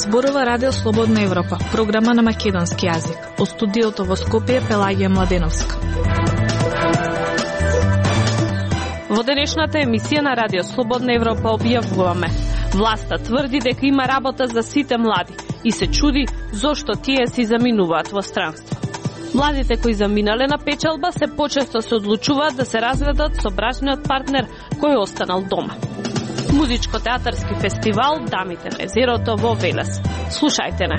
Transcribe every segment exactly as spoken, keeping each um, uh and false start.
Зборува Радио Слободна Европа, програма на македонски јазик. Од студиото во Скопје Пелагија Младеновска. Во денешната емисија на Радио Слободна Европа објавуваме: власта тврди дека има работа за сите млади и се чуди зошто тие си заминуваат во странство. Младите кои заминале на печалба се почесто се одлучуваат да се разведат со брачниот партнер кој останал дома. Музичко-театарски фестивал Дамите на езерото во Велес. Слушајте не.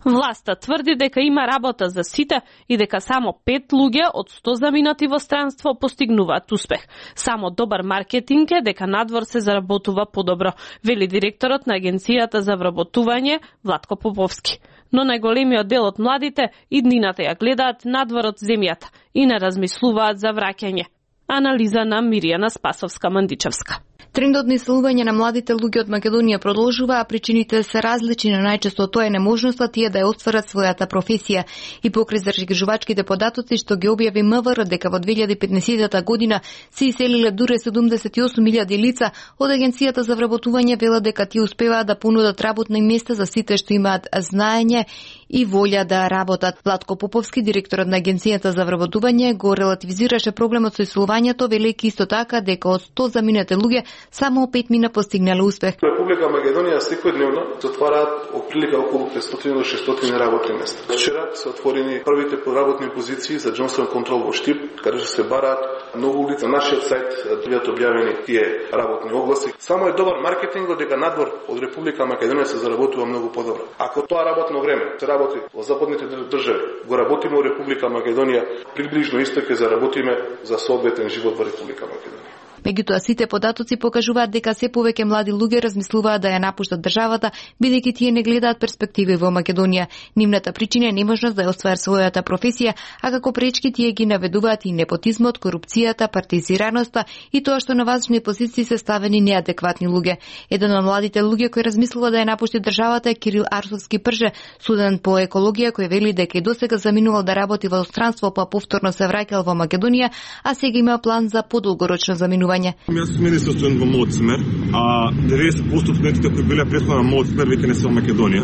Власта тврди дека има работа за сите и дека само пет луѓе од сто заминати во странство постигнуваат успех. Само добар маркетинг е дека надвор се заработува подобро, вели директорот на Агенцијата за вработување Владко Поповски. Но најголемиот дел од младите иднината ја гледаат надвор од земјата и не размислуваат за враќање. Анализа на Миријана Спасовска-Мандичевска. Трендот на иселување на младите луѓе од Македонија продолжува, а причините се различни, но најчесто тоа е неможноста тие да ја остварат својата професија. И покрај зашкежувачките податоци што ги објави МВР дека во две илјади и петнаесетта година се иселиле дури седумдесет и осум илјади лица, од Агенцијата за вработување велат дека тие успеваат да понудат работни места за сите што имаат знаење и волја да работат. Владко Поповски, директорот на Агенцијата за вработување, го релативизираше проблемот со иселувањето, велејќи исто така дека од сто заминати луѓе само пет мина постигнале успех. Република Македонија секојдневно се отвараат оприлика околу петстотини до шестстотини работни места. Вчера се отворени првите поработни позиции за Джонсон контрол во Штип, каде се бараат многу лица. На нашиот сајт бидат објавени тие работни огласи. Само е добар маркетинг дека надвор од Република Македонија се заработува многу подобро. Ако тоа работно време се работи во западните држави, го работиме во Република Македонија, приближно исто ќе заработиме за соодветен живот во Република Македонија. Меѓутоа, сите податоци покажуваат дека се повеќе млади луѓе размислуваат да ја напуштат државата, бидејќи тие не гледаат перспективи во Македонија. Нивната причина е неможност да ја остварат својата професија, а како пречки тие ги наведуваат и непотизмот, корупцијата, партизираноста и тоа што на важни позиции се ставени неадекватни луѓе. Еден од младите луѓе кој размислува да ја напушти државата е Кирил Арсовски Прже, студент по екологија, кој вели дека и досега заминувал да работи во странство, па повторно се враќал во Македонија, а сега има план за подолгорочно заминување. Јас сум министер студент во мојот смер, а деветдесет проценти од студентите кои биле претходно на мојот смер веќе не се во Македонија.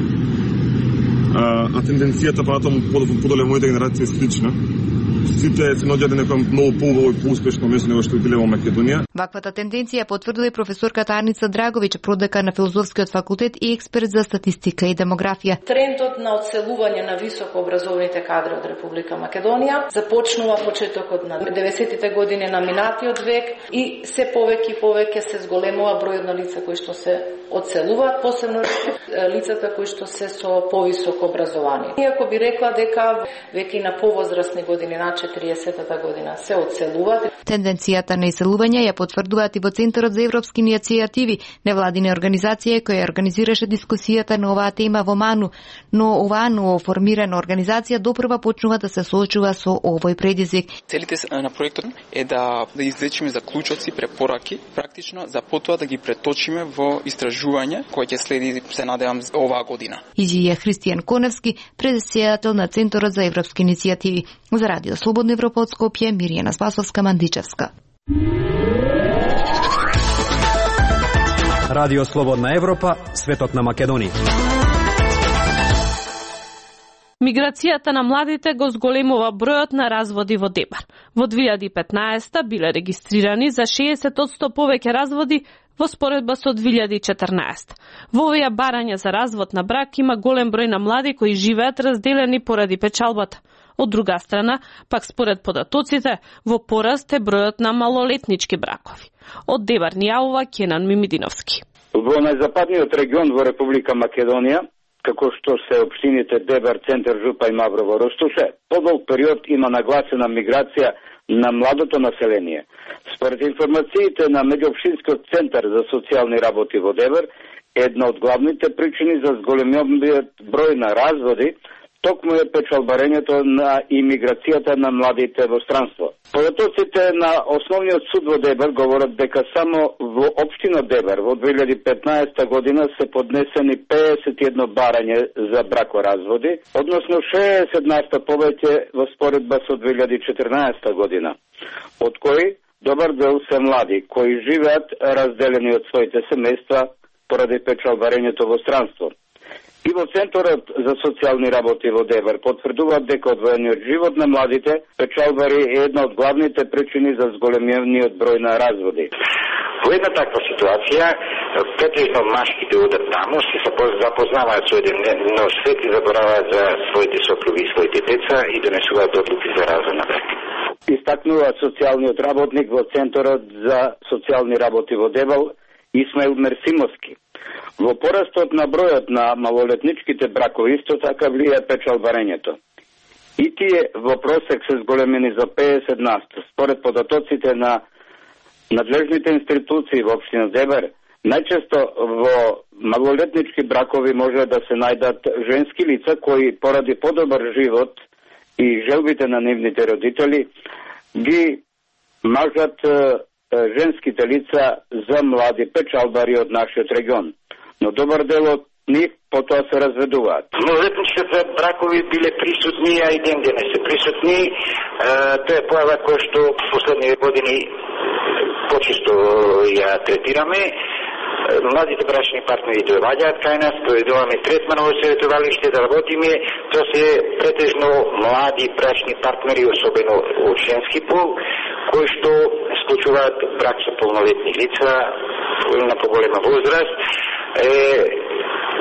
А, а тенденцијата понатаму подоле моите генерации е слична. Сите се наоѓаат на некој многу поубаво и поуспешно место него што биле во Македонија. Ваквата тенденција потврдила и професорката Аница Драговиќ, продека на Филозофскиот факултет и експерт за статистика и демографија. Трендот на одселување на високообразованите кадри од Република Македонија започнува почетокот на деветдесеттите години на минатиот век и се повеќе и повеќе се зголемува бројот на лица кои што се одселуваат, посебно лицата кои што се со повисоко образование. Иако би рекла дека веќе на повозрасни години, на четириесеттата година, се одселуваат. Тенденцијата на иселување ја потврдуваат и во Центарот за европски иницијативи, невладина организација која организираше дискусијата на оваа тема во Ману, но оваа новоформирана организација допрва почнува да се соочува со овој предизвик. Целите на проектот е да да извлечиме заклучоци, препораки, практично за потоа да ги преточиме во истражување кој ќе следи, се надевам, оваа година. Изјавија Христијан Коневски, председател на Центарот за европски иницијативи. За Радио Слободна Европа од Скопје, Миријана Спасовска-Мандичевска. Радио Слободна Европа, светот на Македонија. Миграцијата на младите го зголемува бројот на разводи во Дебар. Во две илјади и петнаесетта биле регистрирани за шеесет одсто повеќе разводи во споредба со две илјади и четрнаесетта. Во овие барања за развод на брак има голем број на млади кои живеат разделени поради печалбата. Од друга страна, пак според податоците, во пораст е бројот на малолетнички бракови. Од Дебар ни јавува Кенан Мимидиновски. Во најзападниот регион во Република Македонија, како што се општините Дебар, Центар, Жупа и Маврово, Ростуше, подолг период има нагласена миграција на младото население. Според информациите на Меѓуопштинскиот центар за социјални работи во Дебар, една од главните причини за зголемиот број на разводи токму е печалбарењето на имиграцијата на младите во странство. Податоците на Основниот суд во Дебар говорат дека само во општина Дебар во две илјади и петнаесетта година се поднесени педесет и едно барање за бракоразводи, односно шеесет на сто повеќе во споредба со две илјади и четрнаесетта година, од кои добар дел се млади, кои живеат разделени од своите семејства поради печалбарењето во странство. И во Центарот за социјални работи во Дебар потврдуваат дека одвоениот живот на младите печалбари е една од главните причини за зголемениот број на разводи. Во една таква ситуација, претежно машките одат таму, се запознаваат со еден нов свет и забораваат за своите сопруги и своите деца и донесуваат одлуки за развод на брак. Истакнува социјалниот работник во Центарот за социјални работи во Дебал Исмаил Мерсимовски. Во порастот на бројот на малолетничките бракови исто така влие печалбарењето. И тие во просек се зголемени за педесет на сто. Според податоците на надлежните институции во општина Дебар, најчесто во малолетнички бракови може да се најдат женски лица кои поради подобар живот и желбите на нивните родители ги мажат женските лица за млади печалбари од нашиот регион. Но добар дел од нив потоа се разведуваат. Малолетничките бракови биле присутни, а и ден денес се присутни. Е, тоа е појава која што последните години почесто ја третираме. Младите брачни партнери доаѓаат кај нас, проведуваме третман во советувалиште да работиме. Тоа се претежно млади брачни партнери, особено од женски пол, кои што склучуваат брак со полнолетни лица на поголема возраст. Е,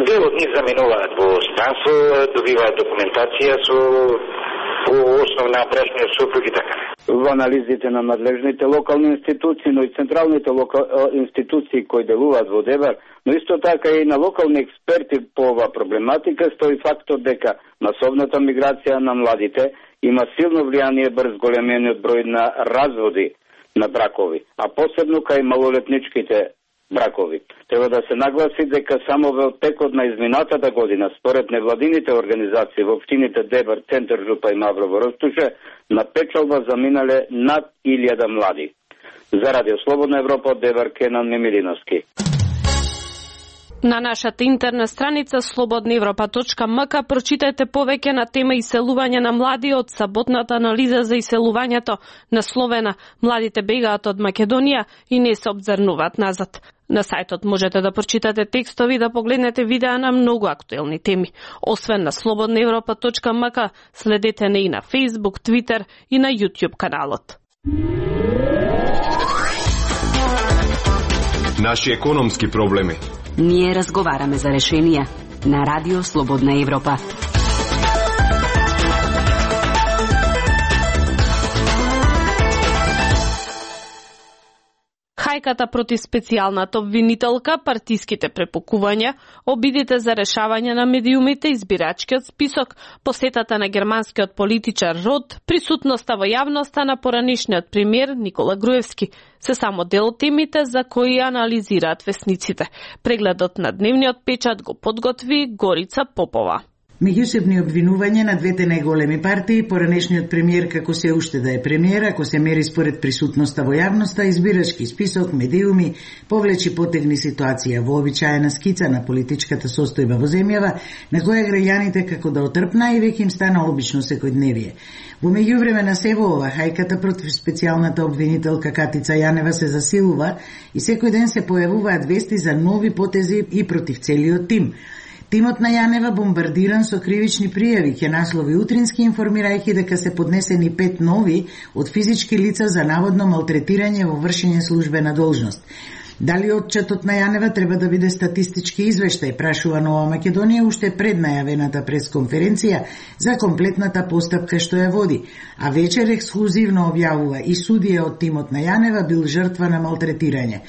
дел од нив заменуваат во станство, добиваат документација со основна брачниот сопруг и така. Во анализите на надлежните локални институции, но и централните локал... институции кои делуваат во Дебар, но исто така и на локални експерти по оваа проблематика, стои фактот дека масовната миграција на младите има силно влијание врз големениот број на разводи на бракови, а посебно кај малолетничките бракови. Треба да се нагласи дека само во текот на изминатата година, според невладините организации во општините Дебар, Центар, Жупа и Маврово Ростуше, на печалба заминале над илјада млади. За Радио Слободна Европа од Дебар, Кенан Мемилиновски. На нашата интернет страница слободна европа точка ем ка прочитајте повеќе на тема иселување на млади од саботната анализа за иселувањето насловена "Младите бегаат од Македонија и не се обзрнуваат назад". На сајтот можете да прочитате текстови и да погледнете видеа на многу актуелни теми. Освен на слободна европа точка ем ка, следете не и на Facebook, Twitter и на YouTube каналот. Наши економски проблеми. Ние разговараме за решенија на Радио Слободна Европа. Хајката против специјалната обвинителка, партиските препукувања, обидите за решавање на медиумите, избирачкиот список, посетата на германскиот политичар Рот, присутноста во јавноста на поранишниот премиер Никола Груевски, се само дел од темите за кои анализираат весниците. Прегледот на дневниот печат го подготви Горица Попова. Меѓусебни обвинувања на двете најголеми партии, поранешниот премиер како се уште да е премиер, ако се мери според присутноста во јавноста, избирачки список, медиуми, повлечи потегни ситуација, вообичаена скица на политичката состојба во земјава, на која граѓаните како да отрпна и веќе им стана обично секојдневие. Во меѓувреме на сево ова, хајката против специјалната обвинителка Катица Јанева се засилува и секој ден се појавуваат вести за нови потези и против целиот тим. Тимот на Јанева бомбардиран со кривични пријави, ќе наслови утрински, информирајќи дека се поднесени пет нови од физички лица за наводно малтретирање во вршење службена должност. Дали отчетот на Јанева треба да биде статистички извештај, прашува Нова Македонија уште пред најавената пресконференција за комплетната постапка што ја води, а вечер ексклузивно објавува и судија од тимот на Јанева бил жртва на малтретирање.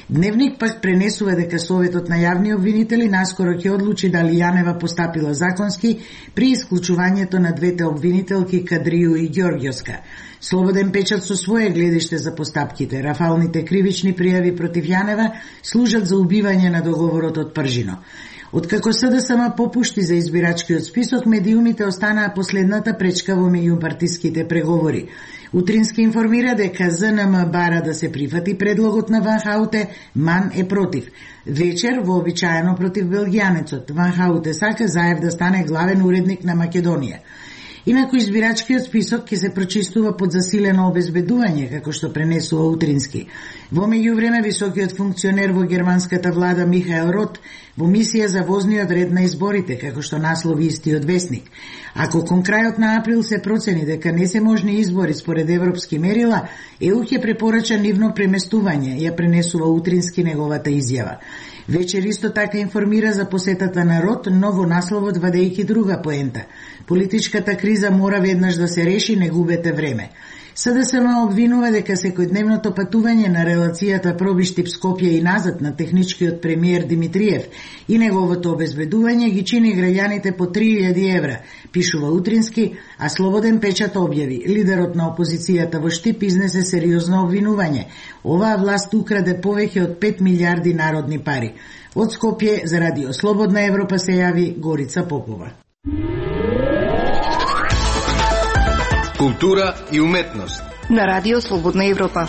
Дневник пак пренесува дека Советот на јавни обвинители наскоро ќе одлучи дали Јанева постапила законски при исклучувањето на двете обвинителки Кадрију и Ѓорѓоска. Слободен печат со своје гледиште за постапките. Рафалните кривични пријави против Јанева служат за убивање на договорот од Пржино. Откако СДСМ попушти за избирачкиот список, медиумите останаа последната пречка во меѓупартиските преговори. Утрински информира дека ЗНМ бара да се прифати предлогот на Ван Хауте, МАН е против. Вечер, вообичаено против белгијанецот, Ван Хауте сака Заев да стане главен уредник на Македонија. Инаку избирачкиот список ќе се прочистува под засилено обезбедување, како што пренесува Утрински. Во меѓувреме, високиот функционер во германската влада Михаел Рот во мисија за возниот ред на изборите, како што наслови истиот весник. Ако кон крајот на април се процени дека не се можни избори според европски мерила, Е У ќе препорача нивно преместување, ја пренесува Утрински неговата изјава. Вечер исто така информира за посетата на Рот, но во насловот вадејќи друга поента. Политичката криза мора веднаш да се реши, не губете време. СДСМ обвинува дека секојдневното патување на релацијата Пробиштип-Скопје и назад на техничкиот премиер Димитриев и неговото обезбедување ги чини граѓаните по три илјади евра, пишува Утрински, а Слободен печат објави. Лидерот на опозицијата во Штип изнесе сериозно обвинување. Оваа власт украде повеќе од пет милијарди народни пари. Од Скопје за Радио Слободна Европа се јави Горица Попова. Култура и уметност на Радио Слободна Европа.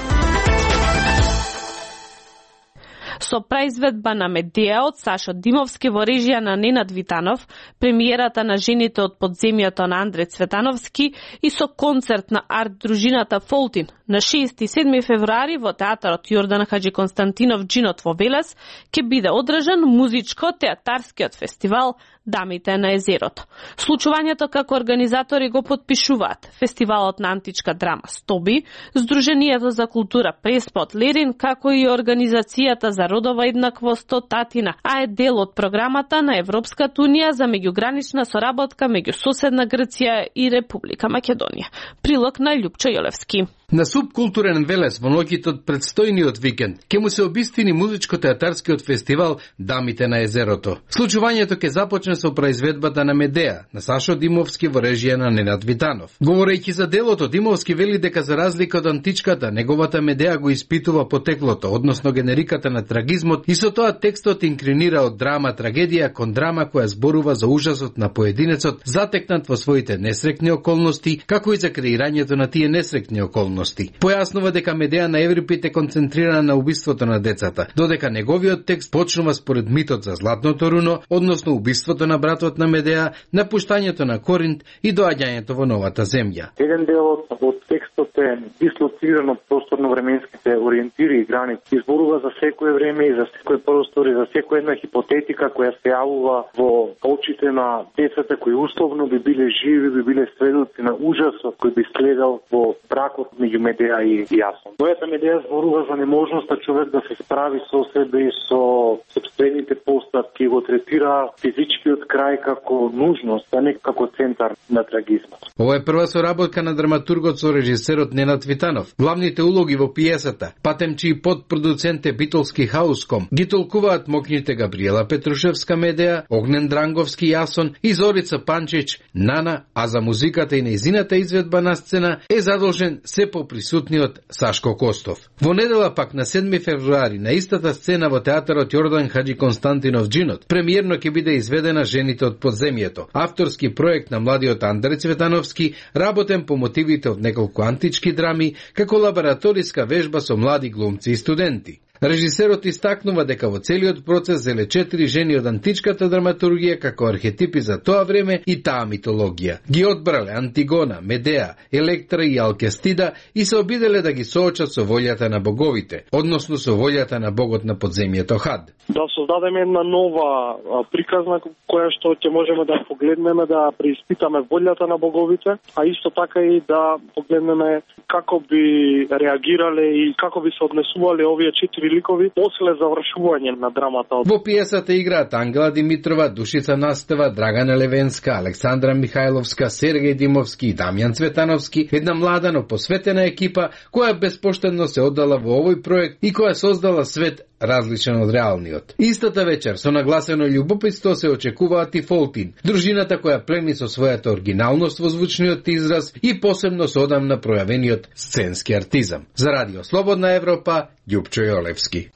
Со произведба на Медеа од Сашо Димовски во режија на Ненад Витанов, премиерата на Жените од подземјето на Андреј Цветановски и со концерт на арт дружината Фолтин на шести и седми февруари во театарот Јордан Хаџи Константинов Джинот во Велес ќе биде одржан музичко-театарскиот фестивал Дамите на езерото. Случувањето како организатори го подпишуваат Фестивалот на античка драма Стоби, Сдруженијето за култура Преспот Лерин, како и Организацијата за родова еднаквост Татина, а е дел од програмата на Европската унија за меѓугранична соработка меѓу соседна Грција и Република Македонија. Прилог на Љупчо Јолевски. На субкултурен Велес во ноќите од предстојниот викенд ќе му се обистини музичко-театарскиот фестивал Дамите на езерото. Случувањето ќе започне со произведбата на Медеа на Сашо Димовски во режија на Ненад Витанов. Говорејќи за делото, Димовски вели дека за разлика од античката, неговата Медеа го испитува потеклото, односно генериката на трагизмот, и со тоа текстот инкринира од драма трагедија кон драма која зборува за ужасот на поединецот затекнат во своите несрекни околности, како и за креирањето на тие несрекни околности. Појаснува дека Медеа на Еврипид е концентрирана на убиството на децата, додека неговиот текст почнува според митот за Златното руно, односно убиството на братот на Медеа, напуштањето на Коринт и доаѓањето во новата земја. Еден дел од текстот е дислоциран од просторно-временските ориентири и граници. Изборува за секое време и за секој простор и за секоја една хипотетика која се јавува во очите на децата кои условно би биле живи, би биле сведоци на ужасот кој би следел во бракот меѓу Медеа и Јасон. Мојата Медеа зборува за неможноста човек да се справи со себе и со собствените постапки, го третира физичкиот крај како нужност, а не како центар на трагизмот. Ова е прва соработка на драматургот со режисерот Ненад Витанов. Главните улоги во пиесата, патем чии подпродуцент е битолски Хауском, ги толкуваат мокните Габриела Петрушевска Медеа, Огнен Дранговски Јасон и Зорица Панчич Нана, а за музиката и нејзината изведба на сцена е задолжен се поприсутниот Сашко Костов. Во недела пак на седми февруари на истата сцена во театарот Јордан Хаџи Константинов Джинот премиерно ќе биде изведена Жените од подземјето, авторски проект на младиот Андреј Цветановски, работен по мотивите од неколку антички драми, како лабораториска вежба со млади глумци и студенти. Режисерот истакнува дека во целиот процес зеле четири жени од античката драматургија како архетипи за тоа време и таа митологија. Ги одбрале Антигона, Медеа, Електра и Алкестида и се обиделе да ги соочат со волјата на боговите, односно со волјата на богот на подземјето Хад. Да создадеме една нова приказна која што ќе можеме да погледнеме, да преиспитаме волјата на боговите, а исто така и да погледнеме како би реагирале и како би се однесувале овие четири ликови после завршување на драмата. Во пиесата играат Ангела Димитрова, Душица Настева, Драгана Левенска, Александра Михајловска, Сергеј Димовски и Дамјан Цветановски, една млада но посветена екипа која безпоштедно се оддала во овој проект и која создала свет различен од реалниот. Истата вечер со нагласено љубопитство се очекуваат и Фолтин, дружината која плени со својата оригиналност во звучниот израз и посебно со одамна пројавениот сценски артизам. За Радио Слободна Европа, Љупчо Јолевски.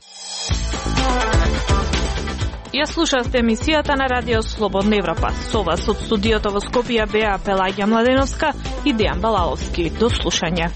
Ја слушавте емисијата на Радио Слободна Европа. Со вас од студиото во Скопје беа Пелагија Младеновска и Дејан Балаловски. До слушање.